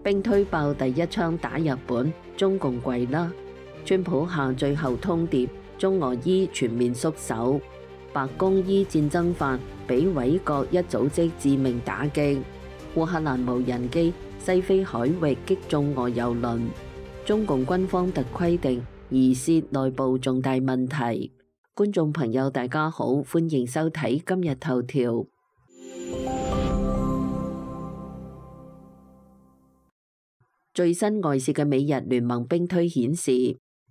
兵推爆第一槍打日本，中共跪啦。川普下最後通牒，中俄伊全面縮手。白宮依戰爭法俾委國一組織致命打擊。烏克蘭無人機西非海域擊中俄油輪。中共軍方特規定疑涉內部重大問題。觀眾朋友大家好，歡迎收睇今日頭條。最新外泄嘅美日聯盟兵推顯示，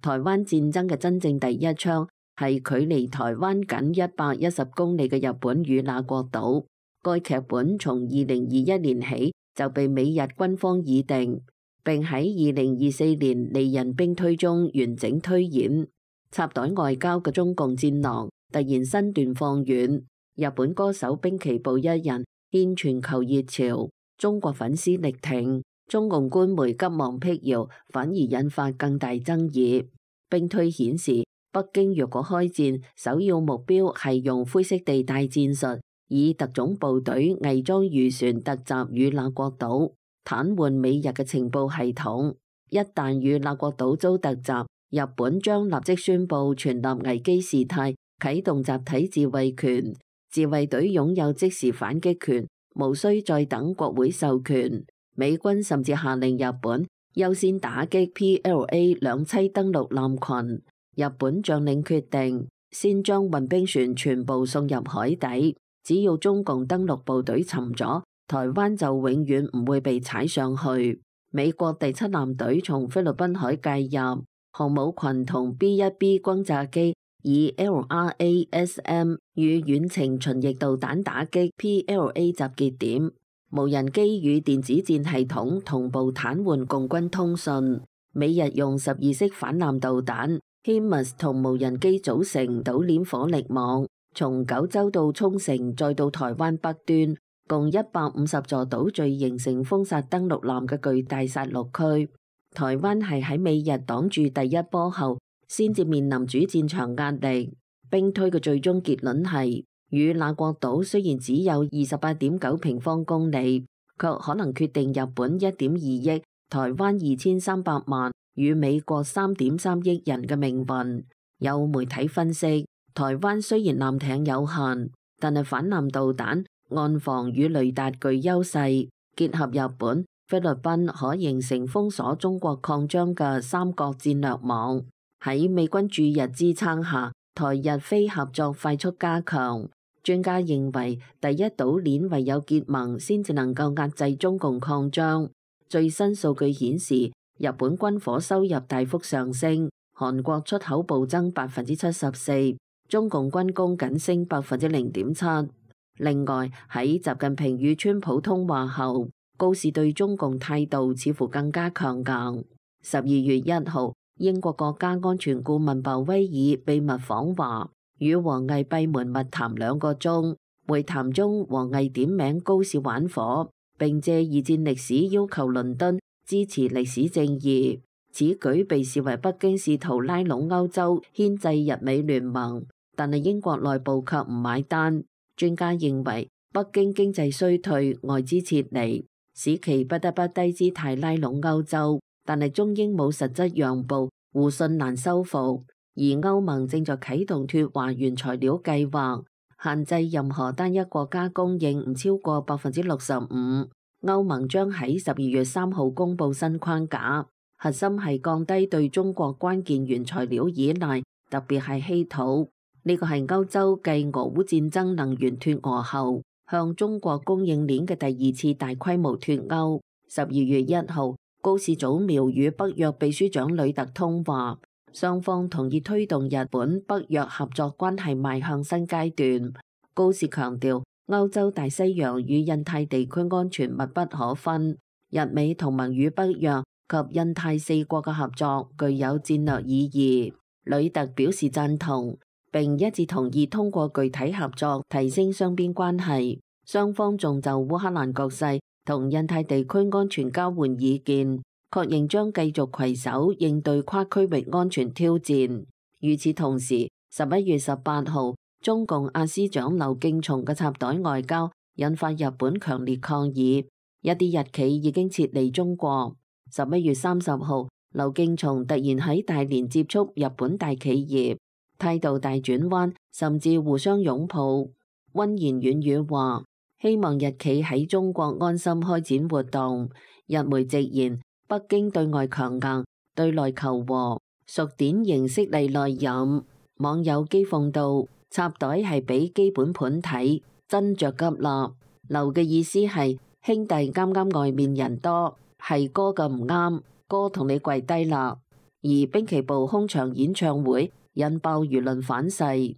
台灣戰爭嘅真正第一槍係距離台灣僅110公里嘅日本與那國島。該劇本從2021年起就被美日軍方擬定，並喺2024年利刃兵推中完整推演。插袋外交嘅中共戰狼突然身段放軟，日本歌手濱崎步一人掀全球熱潮，中國粉絲力挺。中共官媒急忙辟謠，反而引發更大爭議。兵推顯示，北京若果開戰，首要目標係用灰色地帶戰術，以特種部隊偽裝漁船突襲與那國島，癱瘓美日嘅情報系統。一旦與那國島遭突襲，日本將立即宣布全立危機事態，啟動集體自衛權，自衛隊擁有即時反擊權，無需再等國會授權。美軍甚至下令日本優先打擊 PLA 兩棲登陸艦群。日本將領決定先將運兵船全部送入海底，只要中共登陸部隊沉咗，台灣就永遠唔會被踩上去。美國第7艦隊從菲律賓海介入，航母群同 B-1B 轟炸機以 LRASM 與遠程巡弋導彈打擊 PLA 集結點。無人機與電子戰系統同步癱瘓共軍通訊。美日用12式反艦導彈 HIMARS 同無人機組成島鏈火力網，從九州到沖繩再到台灣北端，共150座島嶼形成封殺登陸艦嘅巨大殺戮區。台灣係喺美日擋住第一波後，先至面臨主戰場壓力。兵推嘅最終結論係，與那國島雖然只有28.9平方公里，卻可能決定日本1.2億、台灣2300萬與美國3.3億人嘅命運。有媒體分析，台灣雖然艦艇有限，但係反艦導彈、岸防與雷達具優勢，結合日本、菲律賓可形成封鎖中國擴張嘅三角戰略網。喺美軍駐日支撐下，台日非合作快速加強。專家認為，第一島鏈唯有結盟先至能夠壓制中共擴張。最新數據顯示，日本軍火收入大幅上升，韓國出口暴增74%，中共軍工僅升0.7%。另外，喺習近平與川普通話後，高市對中共態度似乎更加強硬。12月1號，英國國家安全顧問鮑威爾秘密訪華，與王毅閉門密談2個鐘。會談中，王毅點名高市玩火，並借二戰歷史要求倫敦支持歷史正義。此舉被視為北京試圖拉攏歐洲牽制日美聯盟，但係英國內部卻唔買單。專家認為，北京經濟衰退、外資撤離，使其不得不低姿態拉攏歐洲，但係中英冇實質讓步，互信難修復。而歐盟正在啟動脫華原材料計劃，限制任何單一國家供應唔超過65%。歐盟將喺12月3號公布新框架，核心係降低對中國關鍵原材料依賴，特別係稀土。呢個係歐洲繼俄烏戰爭能源脫俄後，向中國供應鏈嘅第2次大規模脫歐。12月1號，高市早苗與北約秘書長呂特通話。雙方同意推動日本北約合作關係邁向新階段。高市強調，歐洲大西洋與印太地區安全密不可分，日美同盟與北約及印太4國嘅合作具有戰略意義。呂特表示贊同，並一致同意通過具體合作提升雙邊關係。雙方仲就烏克蘭局勢同印太地區安全交換意見，確認將繼續攜手應對跨區域安全挑戰。與此同時，11月18號，中共亞司長劉敬松嘅插袋外交引發日本強烈抗議。一啲日企已經撤離中國。11月30號，劉敬松突然喺大連接觸日本大企業，態度大轉彎，甚至互相擁抱，溫言軟語話希望日企喺中國安心開展活動。日媒直言，北京對外強硬，對內求和，屬典型色厲內荏。網友譏諷道：插袋係俾基本盤睇，真着急啦。劉嘅意思係兄弟啱啱外面人多，係哥嘅唔啱，哥同你跪低啦。而濱崎步空場演唱會引爆輿論反噬。11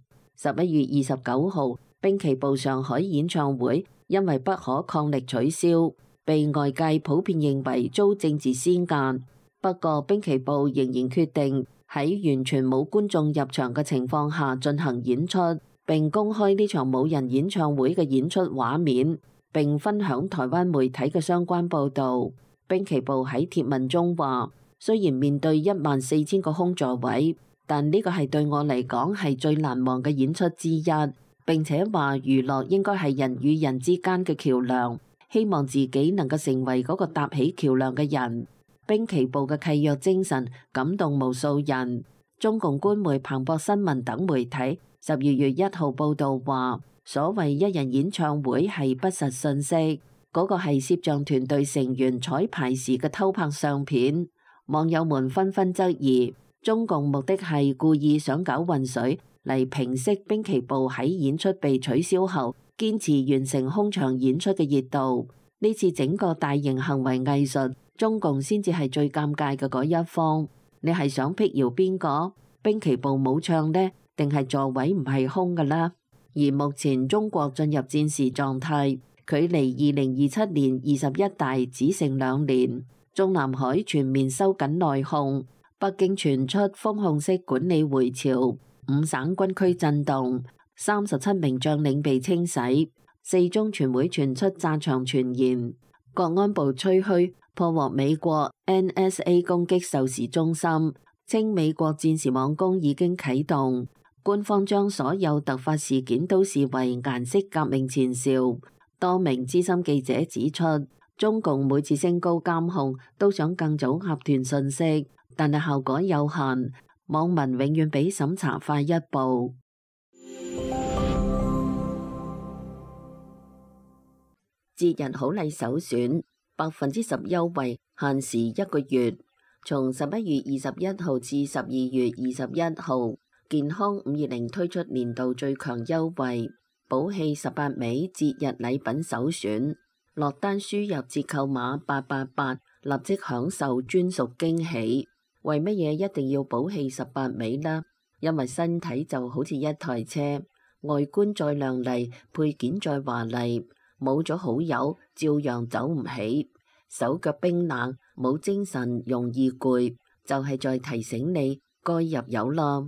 月29號，濱崎步上海演唱會因為不可抗力取消，被外界普遍認為遭政治施壓。不過濱崎步仍然決定喺完全冇觀眾入場嘅情況下進行演出，並公開呢場冇人演唱會嘅演出畫面，並分享台灣媒體嘅相關報導。濱崎步喺貼文中話：雖然面對14000個空座位，但呢個係對我嚟講係最難忘嘅演出之一。並且話娛樂應該係人與人之間嘅橋梁，希望自己能夠成為嗰個搭起橋梁嘅人。濱崎步嘅契約精神感動無數人。中共官媒彭博新聞等媒體12月1號報導話，所謂一人演唱會係不實信息，嗰個係攝像團隊成員彩排時嘅偷拍相片。網友們紛紛質疑，中共目的係故意想搞混水嚟平息濱崎步喺演出被取消後堅持完成空場演出嘅熱度。呢次整個大型行為藝術，中共先至係最尷尬嘅嗰一方。你係想辟謠邊個？濱崎步冇唱呢？定係座位唔係空㗎啦？而目前中國進入戰時狀態，距離2027年21大只剩2年。中南海全面收緊內控，北京傳出封控式管理回潮，5省軍區震動，37名將領被清洗。4中全會傳出炸場傳言。國安部吹噓破獲美國 NSA 攻擊授時中心，稱美國戰時網攻已經啟動。官方將所有突發事件都視為顏色革命前兆。多名資深記者指出，中共每次升高監控都想更早合團信息，但係效果有限。網民永遠比審查快一步。節日好禮首選10%優惠，限時1個月。從11月21號至12月21號，健康520推出年度最強優惠，寶氣18味節日禮品首選。落單輸入折扣碼888，立即享受專屬驚喜。為乜嘢一定要寶氣18味呢？因為身體就好似一台車，外觀再亮麗，配件再華麗，冇咗好友照樣走唔起，手腳冰冷，冇精神，容易攰，就係在提醒你該入油啦。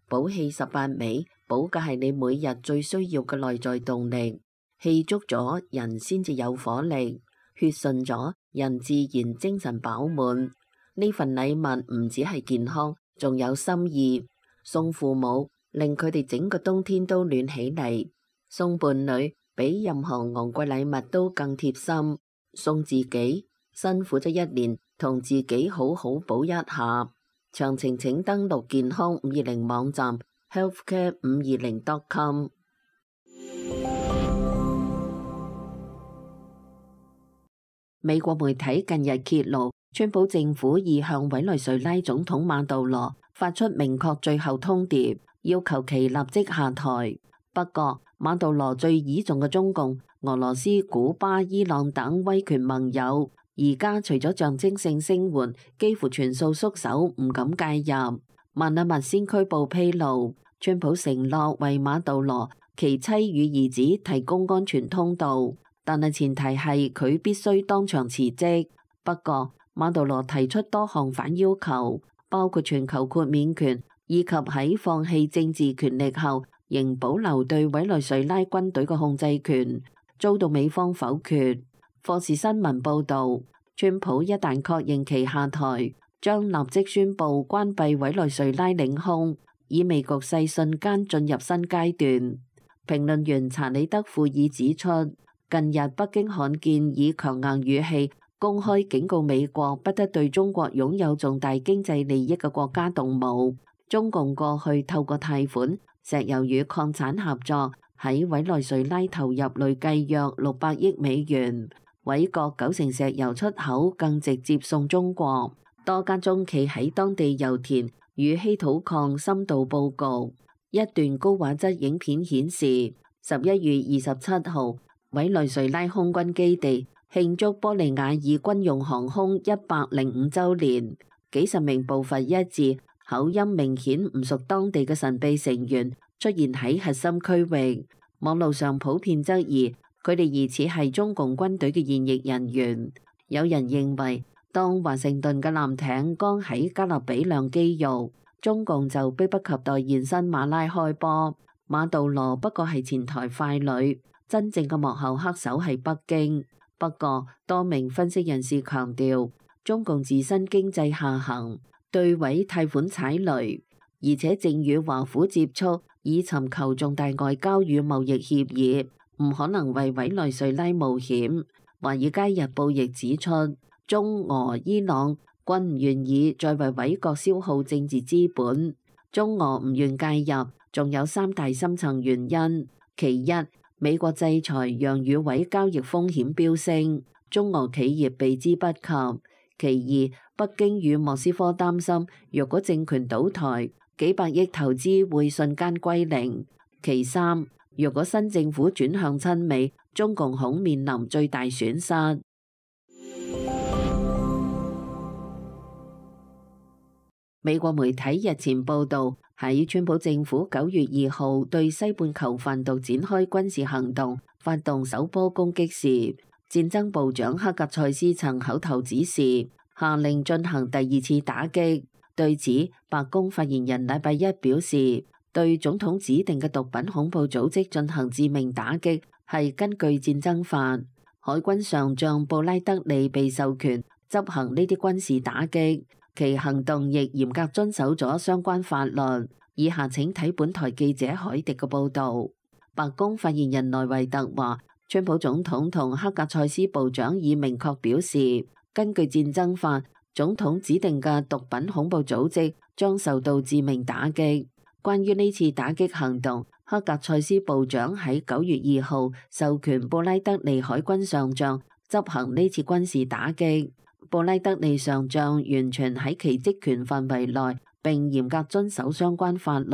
寶氣18味，補嘅係你每日最需要嘅內在動力。氣足咗，人先至有火力；血順咗，人自然精神飽滿。呢份禮物唔止係健康，仲有心意。送父母，令佢哋整個冬天都暖起嚟；送伴侶，比任何昂貴禮物都更貼心。送自己，辛苦咗一年，同自己好好補一下。詳情請登錄健康520網站 healthcare520.com。美國媒體近日揭露，川普政府已向委內瑞拉總統馬杜羅發出明確最後通牒，要求其立即下台。不過，馬杜羅最倚重嘅中共、俄羅斯、古巴、伊朗等威權盟友，而家除咗象徵性聲援，幾乎全數縮手，唔敢介入。曼阿密先驅報披露，川普承諾為馬杜羅其妻與兒子提供安全通道，但係前提係佢必須當場辭職。不過，馬杜羅提出多項反要求，包括全球豁免權，以及喺放棄政治權力後，仍保留對委內瑞拉軍隊嘅控制權，遭到美方否決。霍士新聞報導，川普一旦確認其下台，將立即宣布關閉委內瑞拉領空，意味局勢瞬間進入新階段。評論員查理德庫爾指出，近日北京罕見以強硬語氣公開警告美國不得對中國擁有重大經濟利益嘅國家動武。中共過去透過貸款、石油與礦產合作，喺委內瑞拉投入累計約600億美元，委國90%石油出口更直接送中國。多間中企喺當地油田與稀土礦深度佈局。一段高畫質影片顯示，11月27號，委內瑞拉空軍基地慶祝玻利瓦爾軍用航空105週年，幾十名步伐一致、口音明顯唔屬當地嘅神秘成員出現喺核心區域。網路上普遍質疑佢哋疑似係中共軍隊嘅現役人員。有人認為，當華盛頓嘅艦艇剛喺加勒比亮肌肉，中共就迫不及待現身馬拉開波。馬杜羅不過係前台傀儡，真正嘅幕後黑手係北京。不過，多名分析人士強調，中共自身經濟下行，對委貸款踩雷，而且正與華府接觸，以尋求重大外交與貿易協議，唔可能為委內瑞拉冒險。華爾街日報亦指出，中俄伊朗均唔願意再為委國消耗政治資本。中俄唔願介入，仲有3大深層原因：其一，美國制裁讓與委交易風險飆升，中俄企業避之不及；其二，北京與莫斯科擔心，若果政權倒台，幾百億投資會瞬間歸零；其三，若果新政府轉向親美，中共恐面臨最大損失。美國媒體日前報導，喺川普政府9月2號對西半球販毒展開軍事行動，發動首波攻擊時，戰爭部長克格塞斯曾口頭指示，下令進行第2次打擊。對此，白宮發言人禮拜一表示，對總統指定嘅毒品恐怖組織進行致命打擊係根據戰爭法。海軍上將布拉德利被授權執行呢啲軍事打擊。其行動亦嚴格遵守咗相關法律。以下請睇本台記者海迪嘅報導。白宮發言人萊維特話，川普總統同克格塞斯部長已明確表示，根據戰爭法，總統指定嘅毒品恐怖組織將受到致命打擊。關於呢次打擊行動，克格塞斯部長喺9月2號授權布拉德利海軍上將執行呢次軍事打擊。布拉德利上將完全喺其職權範圍內，並嚴格遵守相關法律，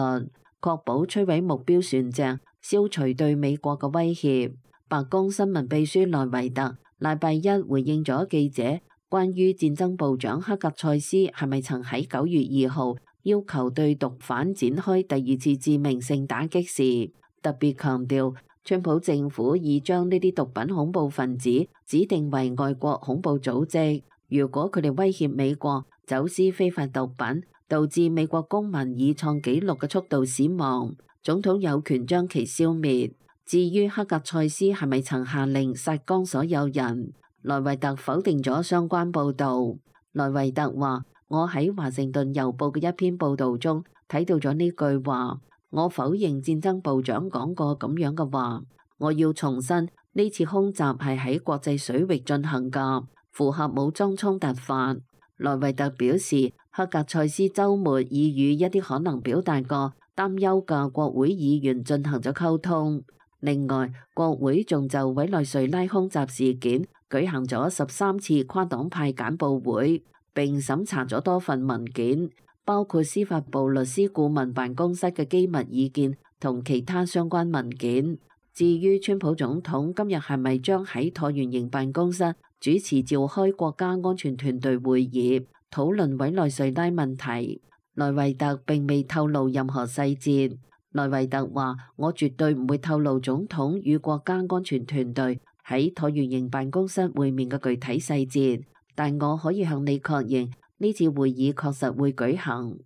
確保摧毀目標船隻，消除對美國嘅威脅。白宮新聞秘書萊維特禮拜一回應咗記者關於戰爭部長克格塞斯係咪曾喺9月2號要求對毒販展開第2次致命性打擊時，特別強調川普政府已將呢啲毒品恐怖分子指定為外國恐怖組織。如果佢哋威脅美國走私非法毒品，導致美國公民以創紀錄嘅速度死亡，總統有權將其消滅。至於克格塞斯係咪曾下令殺光所有人，萊維特否定咗相關報導。萊維特話：我喺華盛頓郵報嘅一篇報導中睇到咗呢句話，我否認戰爭部長講過咁樣嘅話。我要重申，呢次空襲係喺國際水域進行㗎，符合武裝衝突法。萊維特表示，克格塞斯週末已與一啲可能表達過擔憂嘅國會議員進行咗溝通。另外，國會仲就委內瑞拉空襲事件舉行咗13次跨黨派簡報會，並審查咗多份文件，包括司法部律師顧問辦公室嘅機密意見同其他相關文件。至於川普總統今日係咪將喺橢圓形辦公室主持召開國家安全團隊會議，討論委內瑞拉問題，萊維特並未透露任何細節。萊維特話：我絕對唔會透露總統與國家安全團隊喺橢圓形辦公室會面嘅具體細節，但我可以向你確認，呢次會議確實會舉行。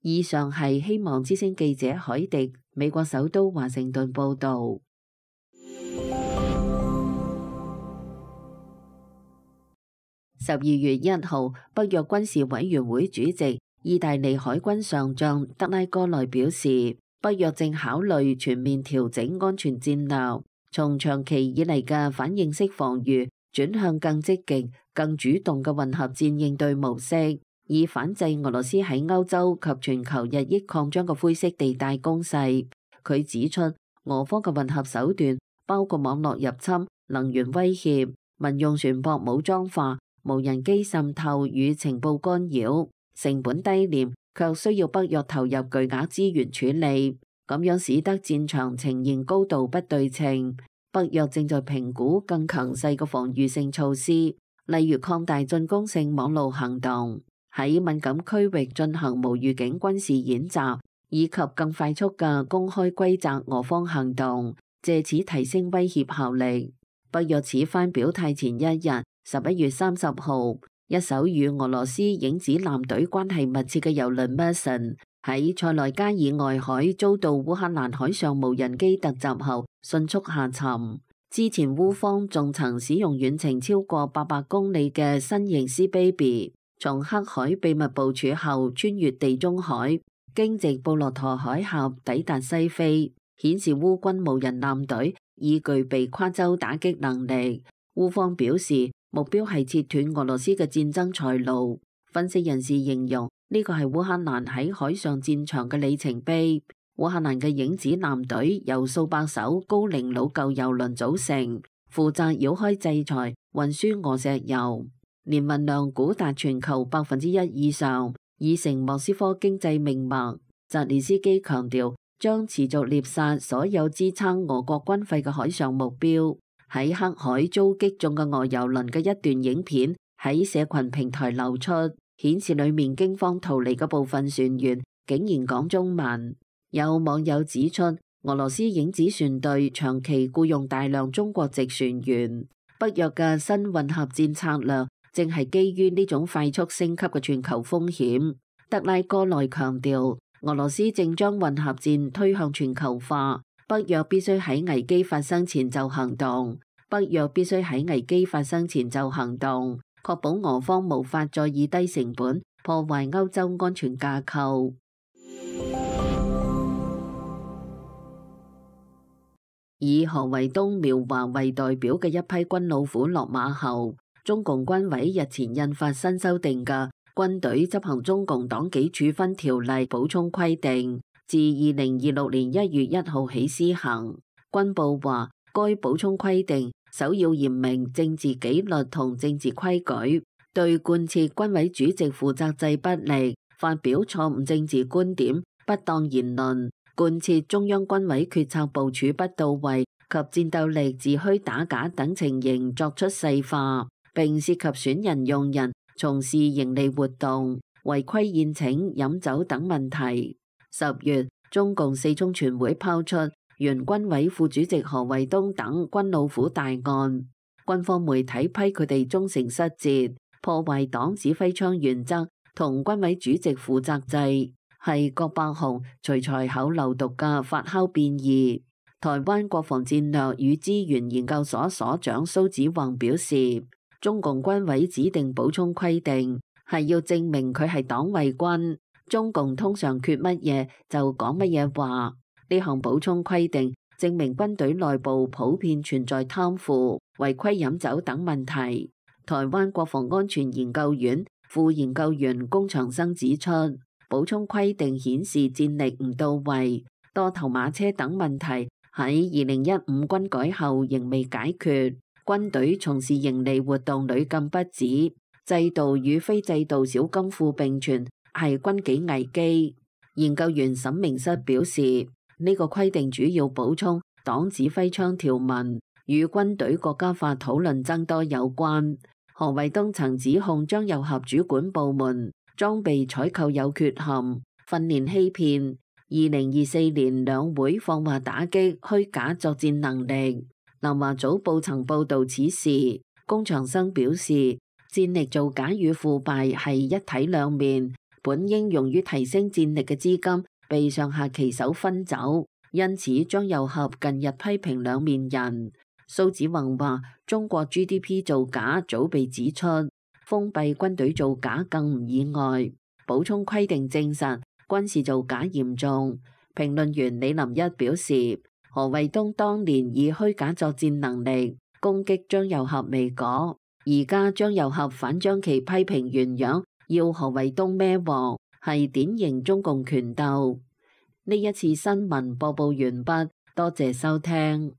以上係希望之聲記者海迪，美國首都華盛頓報導。12月1號，北約軍事委員會主席、意大利海軍上將德拉戈內表示，北約正考慮全面調整安全戰略，從長期以嚟嘅反應式防禦轉向更積極、更主動嘅混合戰應對模式，以反制俄羅斯喺歐洲及全球日益擴張嘅灰色地帶攻勢。佢指出，俄方嘅混合手段包括網絡入侵、能源威脅、民用船舶武裝化、無人機滲透與情報干擾，成本低廉，卻需要北約投入巨額資源處理，咁樣使得戰場呈現高度不對稱。北約正在評估更強勢嘅防禦性措施，例如擴大進攻性網路行動，喺敏感區域進行無預警軍事演習，以及更快速嘅公開歸責俄方行動，借此提升威脅效力。北約此番表態前一日，11月30號，一艘與俄羅斯影子艦隊關係密切嘅郵輪 Mason 喺塞內加爾外海遭到烏克蘭海上無人機突襲後迅速下沉。之前烏方仲曾使用遠程超過800公里嘅新型 Sea Baby 從黑海秘密部署後穿越地中海，經直布羅陀海峽抵達西非，顯示烏軍無人艦隊已具備跨洲打擊能力。烏方表示目標係切斷俄羅斯嘅戰爭財路。分析人士形容呢個係烏克蘭喺海上戰場嘅里程碑。烏克蘭嘅影子艦隊由數百艘高齡老舊油輪組成，負責繞開制裁運輸俄石油，年運量估達全球1%以上，已成莫斯科經濟命脈。澤連斯基強調將持續獵殺所有支撐俄國軍費嘅海上目標。喺黑海遭擊中嘅俄油輪嘅一段影片喺社群平台流出，顯示裡面驚慌逃離嘅部分船員竟然講中文。有網友指出，俄羅斯影子船隊長期僱用大量中國籍船員。北約嘅新混合戰策略正係基於呢種快速升級嘅全球風險。德拉戈內強調，俄羅斯正將混合戰推向全球化，北約必須喺危機發生前就行動。北約必須喺危機發生前就行動，確保俄方無法再以低成本破壞歐洲安全架構。以何衛東、苗華為代表嘅一批軍老虎落馬後，中共軍委日前印發新修訂嘅軍隊執行中共黨紀處分條例補充規定，自2026年1月1號起施行。軍部話，該補充規定首要嚴明政治紀律同政治規矩，對貫徹軍委主席負責制不力，發表錯誤政治觀點、不當言論，貫徹中央軍委決策部署不到位及戰鬥力自虛打假等情形作出細化，並涉及選人用人、從事營利活動、違規宴請、飲酒等問題。10月，中共四中全會拋出原軍委副主席何衛東等軍老虎大案，軍方媒體批佢哋忠誠失節，破壞黨指揮槍原則同軍委主席負責制，係郭伯雄隨才口流毒嘅發酵變異。台灣國防戰略與資源研究所所長蘇子宏表示，中共軍委指定補充規定係要證明佢係黨衛軍，中共通常缺乜嘢就講乜嘢話。呢項補充規定證明軍隊內部普遍存在貪腐、違規飲酒等問題。台灣國防安全研究院副研究員龔長生指出，補充規定顯示戰力唔到位，多頭馬車等問題喺2015軍改後仍未解決，軍隊從事營利活動屢禁不止，制度與非制度小金庫並存，係軍紀危機。研究員沈明室表示，呢個規定主要補充黨指揮槍條文，與軍隊國家法討論增多有關。何衛東曾指控張又俠主管部門裝備採購有缺陷，訓練欺騙。2024年兩會放話打擊虛假作戰能力。南華早報曾報導此事。龔長生表示，戰力造假與腐敗係一體兩面，本應用於提升戰力嘅資金被上下其手分走，因此張又俠近日批評兩面人。蘇子宏話，中國 GDP 造假早被指出，封閉軍隊造假更唔意外。補充規定證實軍事造假嚴重。評論員李林一表示，何衛東當年以虛假作戰能力攻擊張又俠未果，而家張又俠反將其批評原樣，要何衛東孭鑊，係典型中共權鬥。呢一次新聞播報完畢，多謝收聽。